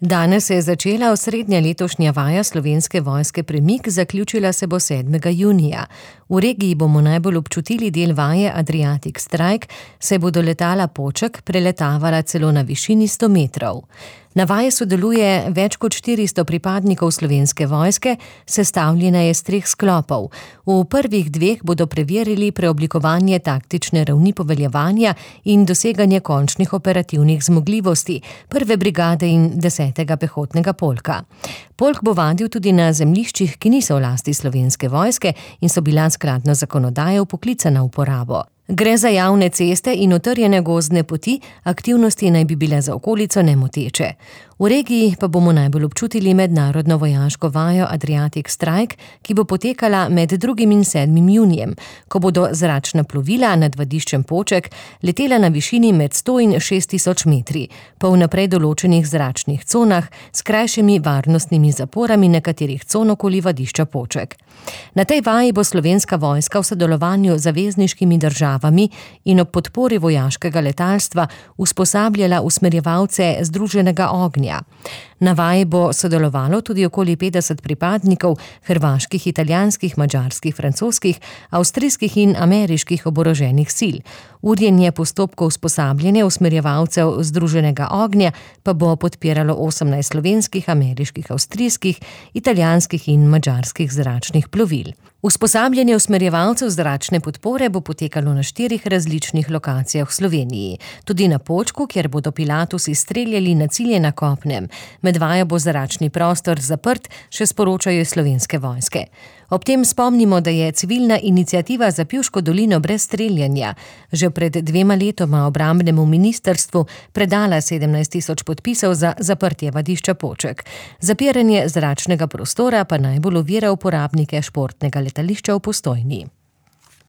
Danes se je začela osrednja letošnja vaja Slovenske vojske Premik, zaključila se bo 7. junija. V regiji bomo najbolj občutili del vaje Adriatic Strike, saj bodo letala Poček preletavala celo na višini 100 metrov. Na vaji sodeluje več kot 400 pripadnikov Slovenske vojske, sestavljena je iz 3 sklopov. V prvih 2 bodo preverili preoblikovanje taktične ravni poveljevanja in doseganje končnih operativnih zmogljivosti 1. brigade in 10. pehotnega polka. Polk bo vadil tudi na zemljiščih, ki niso v lasti Slovenske vojske in so bila skladno zakonodajo vpoklicana v uporabo. Gre za javne ceste in utrjene gozdne poti, aktivnosti naj bi bile za okolico nemoteče. V regiji pa bomo najbolj občutili mednarodno vojaško vajo Adriatic Strike, ki bo potekala med 2. in 7. junijem, ko bodo zračna plovila nad vadiščem Poček letela na višini med 100 in 6000 metri, po vnaprej določenih zračnih conah s krajšimi varnostnimi zaporami nekaterih con okoli vadišča Poček. Na tej vaji bo Slovenska vojska v sodelovanju z zavezniškimi državami in ob podpori vojaškega letalstva usposabljala usmerjevalce združenega ognja. Na vaji bo sodelovalo tudi okoli 50 pripadnikov hrvaških, italijanskih, madžarskih, francoskih, avstrijskih in ameriških oboroženih sil. Urjenje postopkov usposabljanja usmerjevalcev združenega ognja pa bo podpiralo 18 slovenskih, ameriških, avstrijskih, italijanskih in madžarskih zračnih plovil. Usposabljanje usmerjevalcev zračne podpore bo potekalo na 4 različnih lokacijah v Sloveniji. Tudi na Počku, kjer bodo Pilatusi streljali na cilje na kopnem. Med vajo bo zračni prostor zaprt, še sporočajo Slovenske vojske. Ob tem spomnimo, da je civilna iniciativa za Pivško dolino brez streljanja že pred 2 letoma obrambnemu ministrstvu predala 17 000 podpisov za zaprtje vadišča Poček. Zapiranje zračnega prostora pa najbolj ovira uporabnike športnega letališča v Postojni.